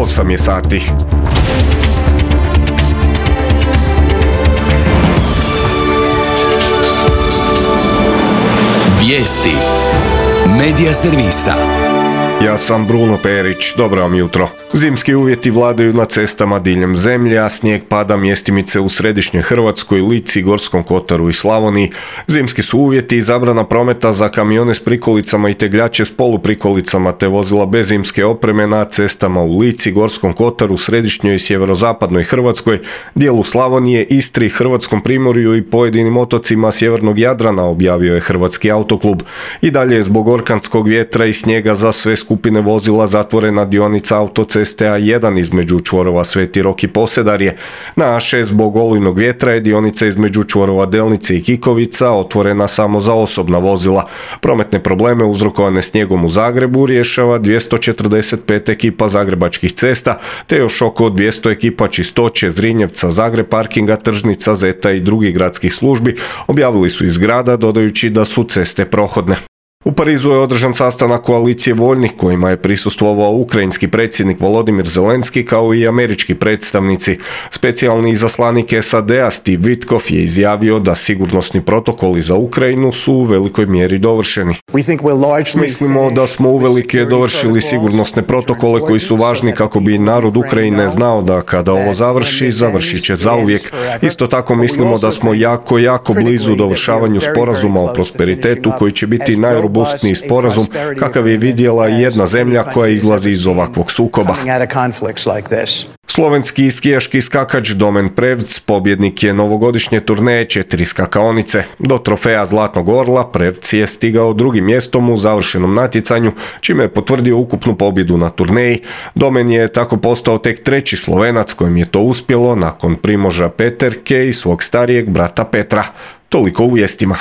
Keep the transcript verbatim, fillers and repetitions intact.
osam je sati. Vijesti Medija servisa. Ja sam Bruno Perić, dobro vam jutro. Zimski uvjeti vladaju na cestama diljem zemlje, a snijeg pada mjestimice u središnjoj Hrvatskoj, Lici, Gorskom kotaru i Slavoniji. Zimski su uvjeti i zabrana prometa za kamione s prikolicama i tegljače s poluprikolicama te vozila bez zimske opreme na cestama u Lici, Gorskom kotaru, središnjoj i sjeverozapadnoj Hrvatskoj, dijelu Slavonije, Istri, Hrvatskom primorju i pojedinim otocima sjevernog Jadrana, objavio je Hrvatski autoklub. I dalje je zbog orkanskog vjetra i snijega za sve skupine vozila zatvorena dionica autoceste A jedan između čvorova Sveti Rok i Posedarje. Na A šest zbog olujnog vjetra je dionica između čvorova Delnice i Kikovica otvorena samo za osobna vozila. Prometne probleme uzrokovane snijegom u Zagrebu rješava dvjesto četrdeset pet ekipa zagrebačkih cesta, te još oko dvjesto ekipa Čistoće, Zrinjevca, Zagreb parkinga, Tržnica, Zeta i drugih gradskih službi, objavili su iz grada dodajući da su ceste prohodne. U Parizu je održan sastanak koalicije voljnih kojima je prisustvovao ukrajinski predsjednik Volodimir Zelenski kao i američki predstavnici. Specijalni izaslanik S A D-a Steve Witkoff je izjavio da sigurnosni protokoli za Ukrajinu su u velikoj mjeri dovršeni. Mislimo da smo uvelike dovršili sigurnosne protokole koji su važni kako bi narod Ukrajine znao da kada ovo završi, završit će zauvijek. Isto tako mislimo da smo jako, jako blizu dovršavanju sporazuma o prosperitetu koji će biti najrobustniji robustniji sporazum kakav je vidjela jedna zemlja koja izlazi iz ovakvog sukoba. Slovenski skijaški skakač Domen Prevc pobjednik je novogodišnje turneje četiri skakaonice. Do trofeja Zlatnog orla Prevc je stigao drugim mjestom u završenom natjecanju, čime je potvrdio ukupnu pobjedu na turneji. Domen je tako postao tek treći Slovenac kojem je to uspjelo nakon Primoža Peterke i svog starijeg brata Petra. Toliko u vijestima.